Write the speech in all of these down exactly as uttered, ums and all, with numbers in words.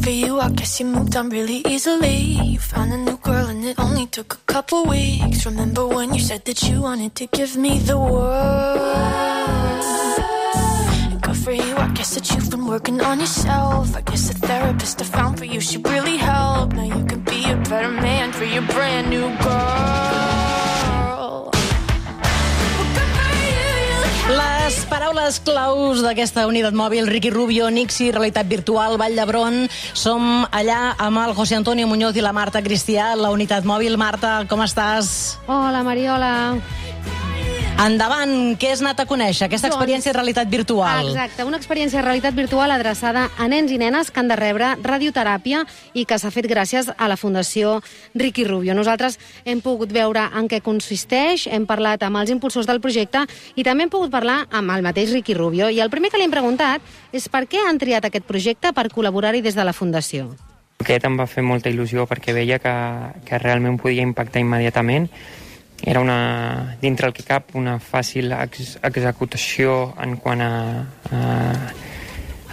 for you, I guess you moved on really easily. You found a new girl and it only took a couple weeks. Remember when you said that you wanted to give me the world? Good for you, I guess that you've been working on yourself. I guess the therapist I found for you should really help. Now you can be a better man for your brand new girl. Les paraules claus d'aquesta unitat mòbil, Ricky Rubio, Nixi, realitat virtual, Vall d'Hebron. Som allà amb el José Antonio Muñoz i la Marta Cristià, la unitat mòbil. Marta, com estàs? Hola, Mariola. Endavant, què has anat a conèixer? Aquesta experiència de realitat virtual. Exacte, una experiència de realitat virtual adreçada a nens i nenes que han de rebre radioteràpia i que s'ha fet gràcies a la Fundació Ricky Rubio. Nosaltres hem pogut veure en què consisteix, hem parlat amb els impulsors del projecte i també hem pogut parlar amb el mateix Ricky Rubio. I el primer que li hem preguntat és per què han triat aquest projecte per col·laborar-hi des de la Fundació. Aquest em va fer molta il·lusió perquè veia que, que realment podia impactar immediatament. Era una, dintre el que cap, una fàcil ex executació en quant a, a,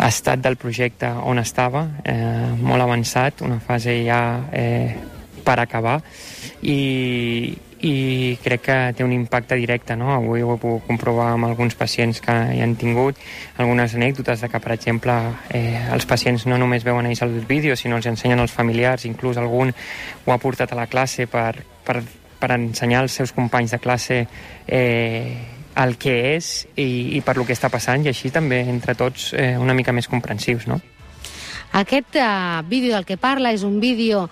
a estat del projecte on estava, eh, molt avançat, una fase ja eh, per acabar, i, i crec que té un impacte directe, no? Avui ho he pogut comprovar amb alguns pacients que hi han tingut, algunes anècdotes de que, per exemple, eh, els pacients no només veuen ells els vídeos, sinó els ensenyen als familiars, inclús algun ho ha portat a la classe per, per per ensenyar als seus companys de classe eh, el que és i, i per lo que està passant, i així també entre tots eh, una mica més comprensius, no? Aquest uh, vídeo del que parla és un vídeo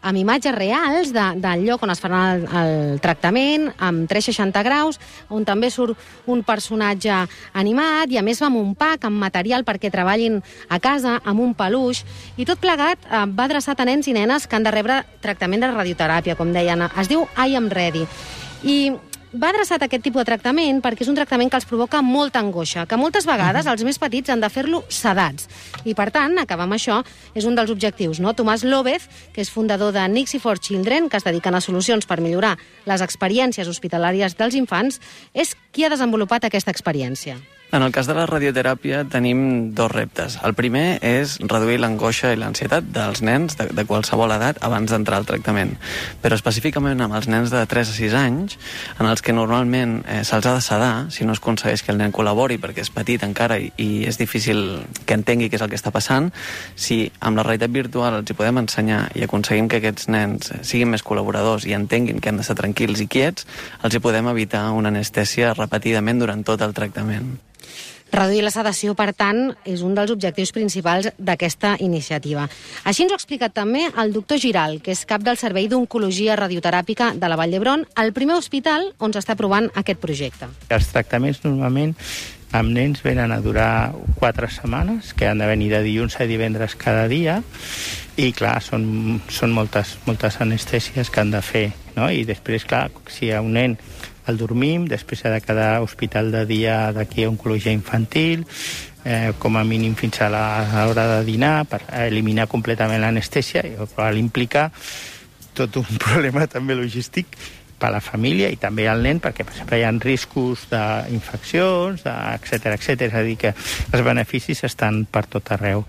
amb imatges reals de, del lloc on es farà el, el tractament, amb tres cents seixanta graus, on també surt un personatge animat, i a més va amb un pack, amb material perquè treballin a casa, amb un peluix, i tot plegat uh, va adreçat a nens i nenes que han de rebre tractament de radioteràpia, com deien. Es diu I Am Ready. I va adreçat a aquest tipus de tractament perquè és un tractament que els provoca molta angoixa, que moltes vegades els més petits han de fer-lo sedats. I, per tant, acabar amb això és un dels objectius, no? Tomàs López, que és fundador de Nixi for Children, que es dediquen a solucions per millorar les experiències hospitalàries dels infants, és qui ha desenvolupat aquesta experiència. En el cas de la radioteràpia tenim dos reptes. El primer és reduir l'angoixa i l'ansietat dels nens de, de qualsevol edat abans d'entrar al tractament. Però específicament amb els nens de tres a sis anys, en els que normalment eh, se'ls ha de sedar, si no es aconsegueix que el nen col·labori perquè és petit encara i, i és difícil que entengui què és el que està passant, si amb la realitat virtual els hi podem ensenyar i aconseguim que aquests nens siguin més col·laboradors i entenguin que han d'estar tranquils i quiets, els hi podem evitar una anestèsia repetidament durant tot el tractament. Reduir la sedació, per tant, és un dels objectius principals d'aquesta iniciativa. Així ens ho ha explicat també el doctor Giral, que és cap del Servei d'Oncologia Radioteràpica de la Vall d'Hebron, el primer hospital on s'està provant aquest projecte. Els tractaments normalment amb nens venen a durar quatre setmanes, que han de venir de dilluns a divendres cada dia, i clar, són, són moltes, moltes anestèsies que han de fer, no? I després, clar, si hi ha un nen el dormim, després ha de quedar hospital de dia d'aquí a oncologia infantil, eh, com a mínim fins a l'hora de dinar, per eliminar completament l'anestèsia, i això implica tot un problema també logístic per a la família i també al nen, perquè per exemple hi ha riscos d'infeccions, etcètera, etcètera. És a dir, que els beneficis estan per tot arreu.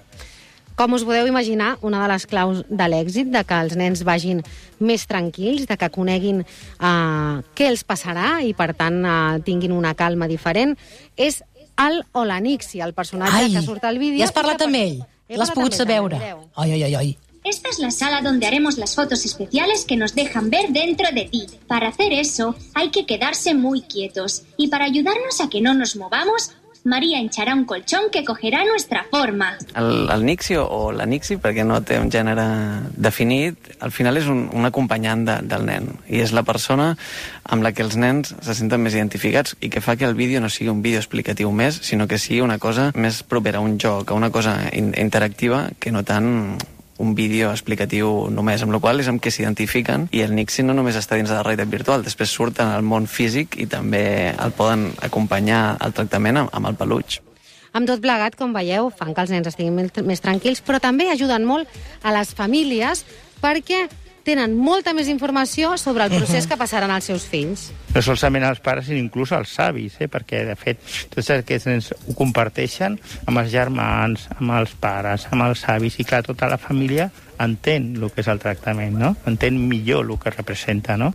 Com us podeu imaginar, una de les claus de l'èxit, de que els nens vagin més tranquils, de que coneguin eh, què els passarà i, per tant, eh, tinguin una calma diferent, és el o la Nixi, el personatge Ai, que surt al vídeo. Ja has parlat amb ell? L'has pogut veure? Ai, ai, ai, ai. Esta es la sala donde haremos las fotos especiales que nos dejan ver dentro de ti. Para hacer eso, hay que quedarse muy quietos. Y para ayudarnos a que no nos movamos, María hinchará un colchón que cogerá nuestra forma. El, el Nixi o la Nixi, perquè no té un gènere definit, al final és un, un acompanyant de, del nen. I és la persona amb la que els nens se senten més identificats i que fa que el vídeo no sigui un vídeo explicatiu més, sinó que sigui una cosa més propera a un joc, a una cosa in, interactiva, que no tant un vídeo explicatiu només, amb la qual és amb què s'identifiquen, i el Nixi no només està dins de la realitat virtual, després surten al món físic i també el poden acompanyar al tractament amb, amb el peluig. Amb tot plegat, com veieu, fan que els nens estiguin més tranquils, però també ajuden molt a les famílies perquè tenen molta més informació sobre el procés que passaran els seus fills. No solament els pares, sinó inclús els avis, eh? Perquè, de fet, tots aquests nens ho comparteixen amb els germans, amb els pares, amb els avis, i clar, tota la família entén el que és el tractament, no? Entén millor el que representa, no?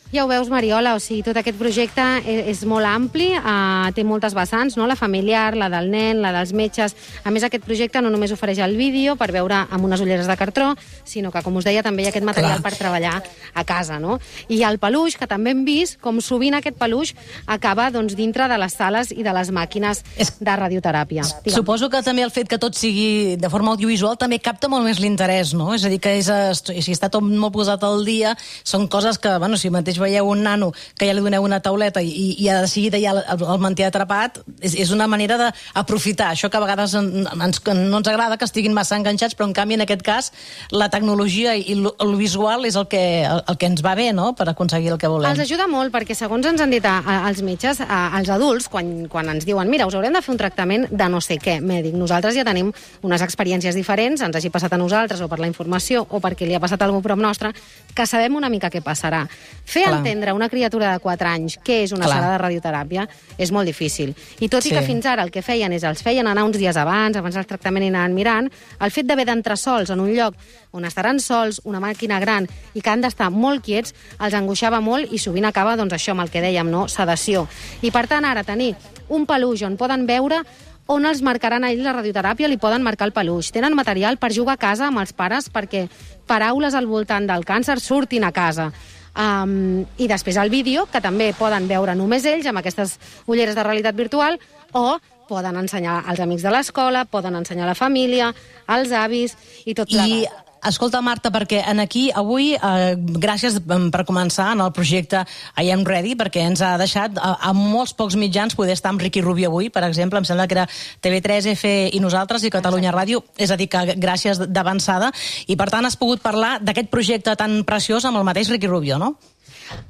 Ja ho veus, Mariola, o sigui, tot aquest projecte és molt ampli, eh, té moltes vessants, no? La familiar, la del nen, la dels metges. A més, aquest projecte no només ofereix el vídeo per veure amb unes ulleres de cartró, sinó que, com us deia, també hi ha aquest material Clar. per treballar a casa, no? I hi ha el peluix, que també hem vist com sovint aquest peluix acaba doncs, dintre de les sales i de les màquines és... de radioteràpia. Digue'm. Suposo que també el fet que tot sigui de forma audiovisual també capta molt més l'interès, no? És a dir, que és, si està tot molt posat al dia, són coses que, bueno, si mateix veieu un nano que ja li doneu una tauleta i, i de seguida ja el, el manté atrapat, és, és una manera d'aprofitar això que a vegades en, ens, no ens agrada que estiguin massa enganxats, però en canvi en aquest cas la tecnologia i el, el visual és el que, el, el que ens va bé, no?, per aconseguir el que volem. Els ajuda molt perquè, segons ens han dit a, a, als metges, a, als adults, quan, quan ens diuen mira, us haurem de fer un tractament de no sé què mèdic, nosaltres ja tenim unes experiències diferents, ens hagi passat a nosaltres o per la informació o perquè li ha passat a algú prop nostre, que sabem una mica què passarà. Fer Clar. entendre una criatura de quatre anys què és una Clar. sala de radioteràpia és molt difícil. I tot sí. i que fins ara el que feien és els feien anar uns dies abans, abans del tractament i anaven mirant, el fet d'haver d'entrar sols en un lloc on estaran sols, una màquina gran i que han d'estar molt quiets, els angoixava molt i sovint acaba, doncs això, amb el que dèiem, no? Sedació. I per tant, ara tenir un peluix on poden veure on els marcaran a ells la radioteràpia, li poden marcar el peluix. Tenen material per jugar a casa amb els pares perquè paraules al voltant del càncer surtin a casa. Um, I després el vídeo, que també poden veure només ells amb aquestes ulleres de realitat virtual, o poden ensenyar als amics de l'escola, poden ensenyar a la família, als avis i tot plegat. I escolta, Marta, perquè en aquí avui, eh, gràcies per començar en el projecte I Am Ready, perquè ens ha deixat a, a molts pocs mitjans poder estar amb Riqui Rubio avui, per exemple, em sembla que era T V tres, F i nosaltres i Catalunya Ràdio, és a dir, que gràcies d'avançada, i per tant has pogut parlar d'aquest projecte tan preciós amb el mateix Riqui Rubio, no?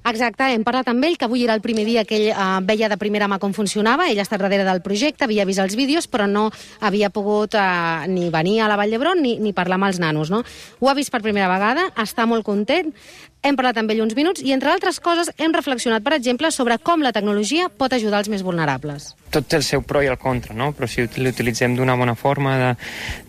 Exacte, hem parlat amb ell, que avui era el primer dia que ell eh, veia de primera mà com funcionava. Ell ha estat darrere del projecte, havia vist els vídeos, però no havia pogut eh, ni venir a la Vall d'Hebron ni, ni parlar amb els nanos, no? Ho ha vist per primera vegada, està molt content, hem parlat amb ell uns minuts i, entre altres coses, hem reflexionat, per exemple, sobre com la tecnologia pot ajudar els més vulnerables. Tot té el seu pro i el contra, no? Però si l'utilitzem d'una bona forma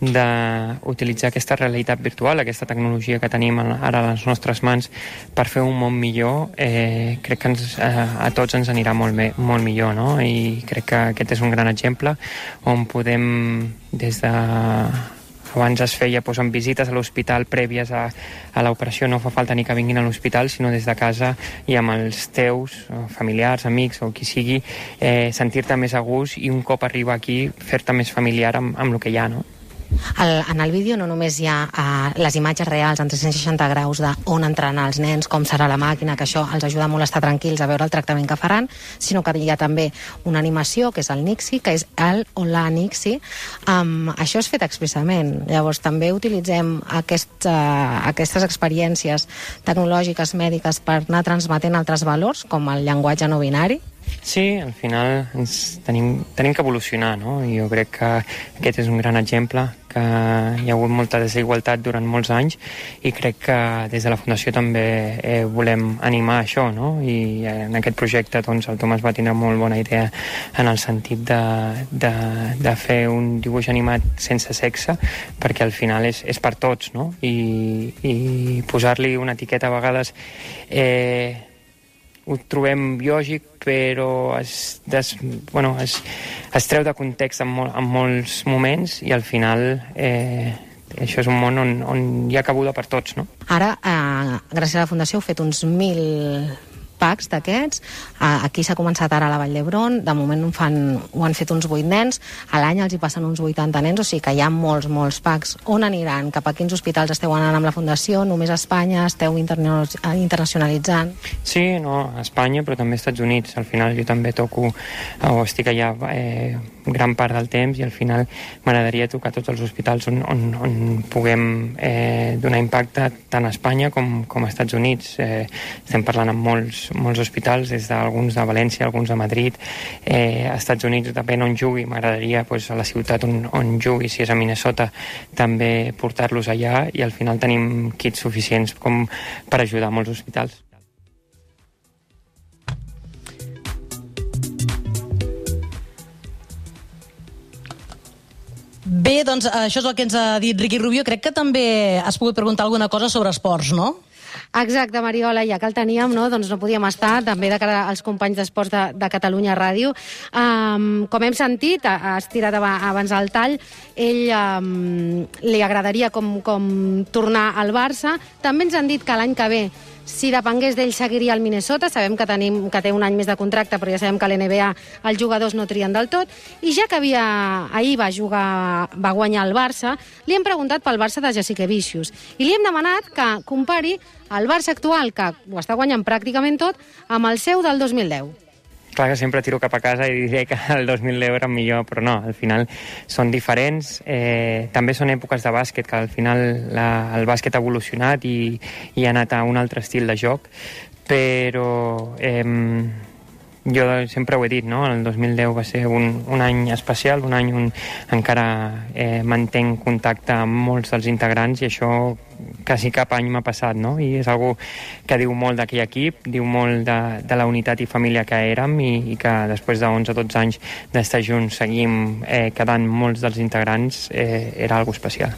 d'utilitzar aquesta realitat virtual, aquesta tecnologia que tenim ara a les nostres mans per fer un món millor, eh, crec que ens, eh, a tots ens anirà molt, bé, molt millor, no? I crec que aquest és un gran exemple on podem, des de... Abans es feia doncs, amb visites a l'hospital prèvies a, a l'operació, no fa falta ni que vinguin a l'hospital, sinó des de casa i amb els teus familiars, amics o qui sigui, eh, sentir-te més a gust i un cop arriba aquí fer-te més familiar amb, amb el que hi ha, no? El, en el vídeo no només hi ha uh, les imatges reals en tres-cents seixanta graus d'on entraran els nens, com serà la màquina, que això els ajuda molt a estar tranquils a veure el tractament que faran, sinó que hi ha també una animació, que és el Nixi, que és el o la Nixi. Um, això és fet expressament. Llavors també utilitzem aquest, uh, aquestes experiències tecnològiques mèdiques per anar transmetent altres valors, com el llenguatge no binari. Sí, al final ens tenim, tenim que evolucionar, no? I jo crec que aquest és un gran exemple, que hi ha hagut molta desigualtat durant molts anys i crec que des de la Fundació també eh, volem animar això, no? I en aquest projecte doncs, el Tomàs va tindre molt bona idea en el sentit de, de, de fer un dibuix animat sense sexe, perquè al final és, és per tots, no? I, i posar-li una etiqueta a vegades... Eh, ho trobem lògic, però es, des, bueno, es, es treu de context en, mol, en molts moments i al final eh, això és un món on, on hi ha cabuda per tots, no? Ara, eh, gràcies a la Fundació, heu fet uns mil packs d'aquests. Aquí s'ha començat ara a la Vall d'Hebron, de moment ho, fan, ho han fet uns vuit nens, a l'any els hi passen uns vuitanta nens, o sigui que hi ha molts, molts packs. On aniran? Cap a quins hospitals esteu anant amb la Fundació? Només a Espanya? Esteu internacionalitzant? Sí, no, a Espanya, però també als Estats Units. Al final jo també toco, o estic allà eh, gran part del temps, i al final m'agradaria tocar tots els hospitals on, on, on puguem eh, donar impacte tant a Espanya com, com a Estats Units. Eh, estem parlant amb molts, molts hospitals, des d'alguns de València, alguns de Madrid, eh, a Estats Units, depèn on jugui, m'agradaria pues, a la ciutat on, on jugui, si és a Minnesota, també portar-los allà, i al final tenim kits suficients com per ajudar molts hospitals. Bé, doncs això és el que ens ha dit Ricky Rubio. Crec que també has pogut preguntar alguna cosa sobre esports, no? Exacte, Mariola, ja que el teníem, no, doncs no podíem estar, també de cara als companys d'esports de, de Catalunya Ràdio. Um, com hem sentit, has tirat abans el tall, ell um, li agradaria com, com tornar al Barça. També ens han dit que l'any que ve, si depengués d'ell, seguiria al Minnesota. Sabem que, tenim, que té un any més de contracte, però ja sabem que a l'N B A els jugadors no trien del tot. I ja que havia, ahir va jugar, va guanyar el Barça, li hem preguntat pel Barça de Jasikevičius. I li hem demanat que compari el Barça actual, que ho està guanyant pràcticament tot, amb el seu del dos mil deu. Clar que sempre tiro cap a casa i diré que el dos mil deu era millor, però no, al final són diferents. Eh, també són èpoques de bàsquet, que al final la, el bàsquet ha evolucionat i, i ha anat a un altre estil de joc, però eh, jo sempre ho he dit, no? El dos mil deu va ser un, un any especial, un any on encara eh, mantenc contacte amb molts dels integrants, i això quasi cap any m'ha passat, no? I és algo que diu molt d'aquell equip, diu molt de, de la unitat i família que érem, i, i que després de onze o dotze anys d'estar junts seguim eh, quedant molts dels integrants, eh, era algo especial.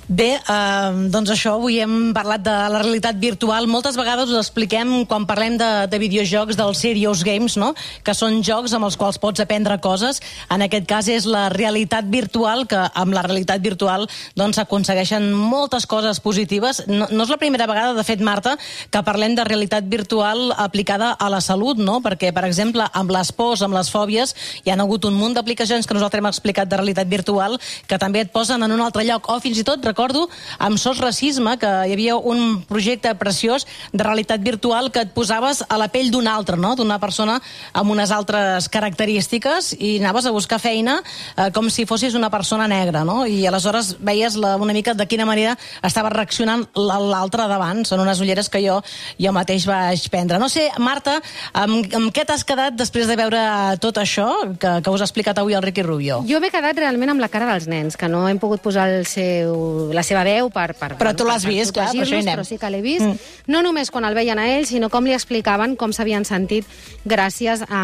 Bé, eh, doncs això, avui hem parlat de la realitat virtual. Moltes vegades us expliquem, quan parlem de, de videojocs, dels serious games, no? Que són jocs amb els quals pots aprendre coses. En aquest cas és la realitat virtual, que amb la realitat virtual doncs s'aconsegueixen moltes coses positives. No, no és la primera vegada, de fet, Marta, que parlem de realitat virtual aplicada a la salut, no? Perquè, per exemple, amb les pors, amb les fòbies, hi ha hagut un munt d'aplicacions que nosaltres hem explicat de realitat virtual que també et posen en un altre lloc, o fins i tot recordo amb Sos Racisme que hi havia un projecte preciós de realitat virtual que et posaves a la pell d'un altre, no? D'una persona amb unes altres característiques, i anaves a buscar feina eh, com si fossis una persona negra, no? I aleshores veies la, una mica de quina manera estava reaccionant l'altre davant. Són unes ulleres que jo, jo mateix vaig prendre. No sé, Marta, amb, amb què t'has quedat després de veure tot això que, que us ha explicat avui el Ricky Rubio? Jo m'he quedat realment amb la cara dels nens, que no hem pogut posar el seu, la seva veu per, per, però tu l'has vist, clar, per això hi anem. Però sí que l'he vist, mm. no només quan el veien a ell, sinó com li explicaven com s'havien sentit gràcies a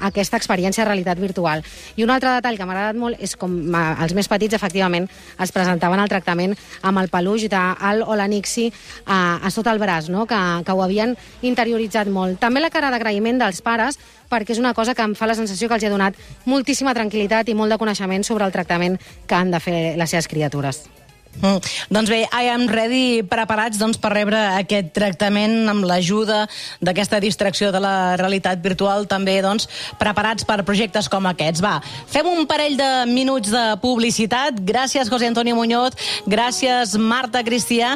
aquesta experiència de realitat virtual. I un altre detall que m'ha agradat molt és com els més petits, efectivament, es presentaven al tractament amb el peluix d'Al Olanixi a, a sota el braç, no? que, que ho havien interioritzat molt. També la cara d'agraïment dels pares, perquè és una cosa que em fa la sensació que els ha donat moltíssima tranquil·litat i molt de coneixement sobre el tractament que han de fer les seves criatures. Mm. Doncs bé, I am ready, preparats doncs, per rebre aquest tractament amb l'ajuda d'aquesta distracció de la realitat virtual, també doncs, preparats per projectes com aquests. Va, fem un parell de minuts de publicitat. Gràcies, José Antonio Muñoz, gràcies, Marta Cristià,